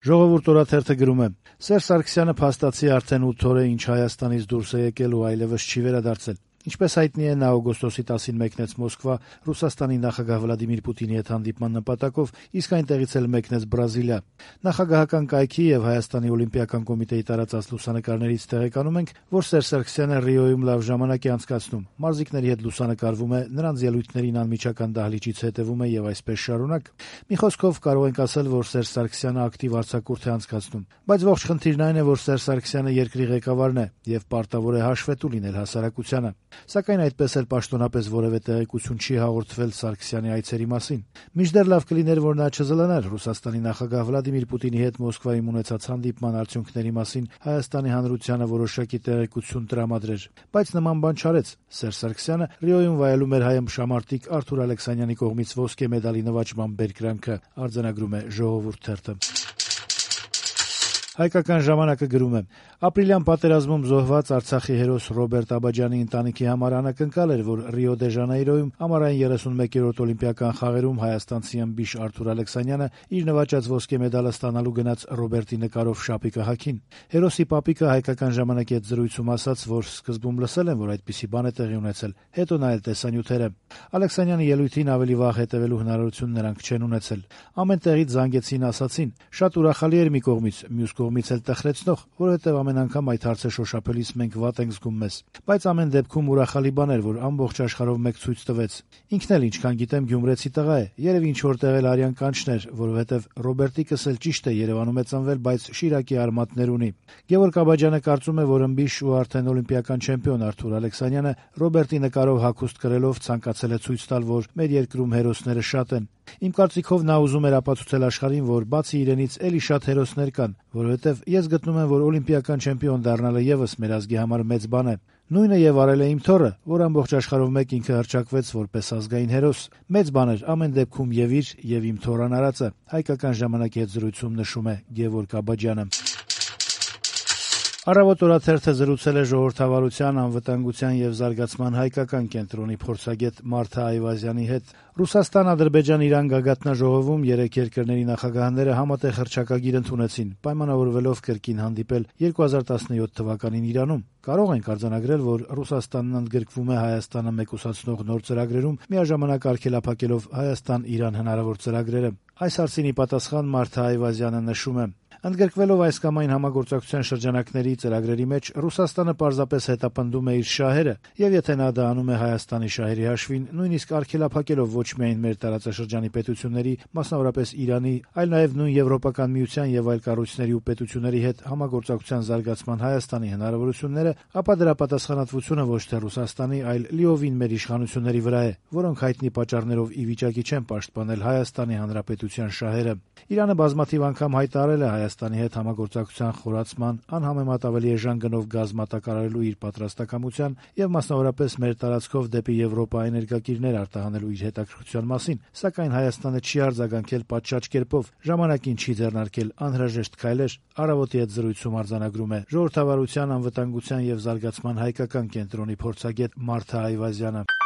Ժողովուրդ օրաթերթը գրում է. Սերժ Սարգսյանը փաստացի արդեն 8 օր է ինչ Հայաստանից դուրս է եկել ու այլևս չի վերադարձել։ Ինչպես հայտնի է, նա օգոստոսի 10-ին մեկնեց Մոսկվա Ռուսաստանի նախագահ Վլադիմիր Պուտինի հետ հանդիպման նպատակով, իսկ այնտեղից էլ մեկնեց Բրազիլիա։ Նախագահական կայքի եւ Հայաստանի օլիմպիական կոմիտեի տարածած լուսանկարներից տեղեկանում ենք, որ Սերժ Սարգսյանը Ռիոյում լավ ժամանակ է անցկացնում։ Մարզիկների հետ լուսանկարվում է, նրանց ելույթներին անմիջական դահլիճից հետևում է եւ այսպես շարունակ։ Մի խոսքով կարող ենք ասել, որ Սերժ Սարգսյանը ակտիվ արձակուրդ է անցկացնում։ Բայց ողջ խնդիրն այն է, որ Սերժ Սարգսյանը երկրի ղեկավարն է եւ պարտավոր է հաշվետու լինել հասարակությանը։ Սակայն այդպես էլ պաշտոնապես որևէ տեղեկություն չի հաղորդվել Սարգսյանի այցերի մասին։ Մինչդեռ լավ կլիներ, որ նա չզլանար Ռուսաստանի նախագահ Վլադիմիր Պուտինի հետ Մոսկվայում ունեցած հանդիպման արդյունքների մասին Հայաստանի հանրությանը որոշակի տեղեկություն տրամադրեր, բայց նման բան չարեց։ Սերժ Սարգսյանը Ռիոյում վայելում էր հայ-ըմբշամարտիկ Արթուր Ալեքսանյանի կողմից ոսկե մեդալի նվաճման բերկրանքը, արձանագրում է Ժողովուրդ թերթը։ Հայկական ժամանակը գրում է. Ապրիլյան պատերազմում զոհված Արցախի հերոս Ռոբերտ Աբաջյանի ընտանիքի համար անակնկալ էր, որ Ռիո դե Ժանեյրոյում ամառային 31-րդ օլիմպիական խաղերում հայաստանցի ըմբիշ Արթուր Ալեքսանյանը իր նվաճած ոսկե մեդալը ստանալու գնաց Ռոբերտի նկարով շապիկը հագին։ Հերոսի պապիկը Հայկական ժամանակի հետ զրույցում ասաց, որ սկզբում լսել են, որ այդպիսի բան է տեղի ունեցել, հետո նայել տեսանյութերը։ Ալեքսանյանի ելույթին ավելի վաղ հետևելու հնարավորություն նրանք չեն ունեցել։ Ամեն տեղից զանգեցին, ասացին. շատ ուրախալի էր մի կողմից, մյուս կողմից էլ տխրեցնող, որովհետև ամեն անգամ այդ հարցը շոշափելիս մենք վատ ենք զգում մեզ։ Բայց ամեն դեպքում ուրախալի բան էր, որ ամբողջ աշխարհով մեկ ցույց տվեց։ Ինքն էլ ինչքան գիտեմ գյումրեցի տղա է, երևի ինչ որտեղ էլ արյան կանչներ, որովհետև Ռոբերտիկս էլ ճիշտ է Երևանում է ծնվել, բայց Շիրակի արմատներ ունի։ Գևորգ Աբաջյանը կարծում է, որ ըմբիշ ու արդեն օլիմպիական չեմպիոն Արթուր Ալեքսանյանը Ռոբերտի նկարով հագուստ կրելով ցանկացել է ցույց տալ, որ մեր երկրում հերոսները շատ են։ Իմ կարծիքով նա ուզում էր ապացուցել աշխարհին, որ բացի իրենից էլի շատ հերոսներ կան, որովհետև ես գտնում եմ, որ օլիմպիական չեմպիոն դառնալը եւս մեր ազգի համար մեծ բան է։ Նույնը եւ արել է իմ թոռը, որ ամբողջ աշխարհով մեկ ինքը հռչակվեց որպես ազգային հերոս։ Մեծ բան էր ամեն դեպքում եւ իր եւ իմ թոռան արածը։ Հայկական ժամանակի հետ զրույցում նշում է Գևորգ Աբաջյանը։ Առավոտ օրաթերթը զրուցել է ժողովրդավարության, անվտանգության եւ զարգացման հայկական կենտրոնի փորձագետ Մարթա Այվազյանի հետ։ Ռուսաստան-Ադրբեջան-Իրան գագաթնաժողովում 3 երկրների նախագահները համատեղ հռչակագիր ընդունեցին, պայմանավորվելով կրկին հանդիպել 2017 թվականին Իրանում։ Կարող ենք արձանագրել, որ Ռուսաստանն ընդգրկվում է Հայաստանը մեկուսացնող նոր ծրագրերում, միաժամանակ արգելափակելով Հայաստան-Իրան հնարավոր ծրագրերը։ Այս հարցին ի պատասխան Մարթա Այվազյանը նշում է. Ընդգրկվելով այս կամ այն համագործակցության շրջանակների ծրագրերի մեջ, Ռուսաստանը պարզապես հետապնդում է իր շահերը, եւ եթե նա դա անում է Հայաստանի շահերի հաշվին, նույնիսկ արգելափակելով ոչ միայն մեր տարածաշրջանի պետությունների, մասնավորապես Իրանի, այլ նաեւ նույն Եվրոպական միության եւ այլ կառույցների ու պետությունների հետ համագործակցության զարգացման Հայաստանի հնարավորությունները, ապա դրա պատասխանատվությունը ոչ թե Ռուսաստանի, այլ լիովին մեր իշխանությունների վրա է, որոնք հայտնի պատճառներով ի վիճակի չեն պաշտպանել Հայաստանի Հանրապետության շահերը։ Իրանը բազմաթիվ անգամ հայտարարել է Հայաստանի հետ համագործակցության խորացման, անհամեմատ ավելի էժան գնով գազ մատակարարելու իր պատրաստակամության եւ մասնավորապես մեր տարածքով դեպի Եվրոպա էներգակիրներ արտահանելու իր հետաքրքրության մասին, սակայն Հայաստանը չի արձագանքել պատշաճ կերպով, ժամանակին չի ձեռնարկել անհրաժեշտ քայլեր։ Առավոտի հետ զրույցում արձանագրում է ժողովրդավարության, անվտանգության եւ զարգացման հայկական կենտրոնի փորձագետ Մարթա Այվազյանը։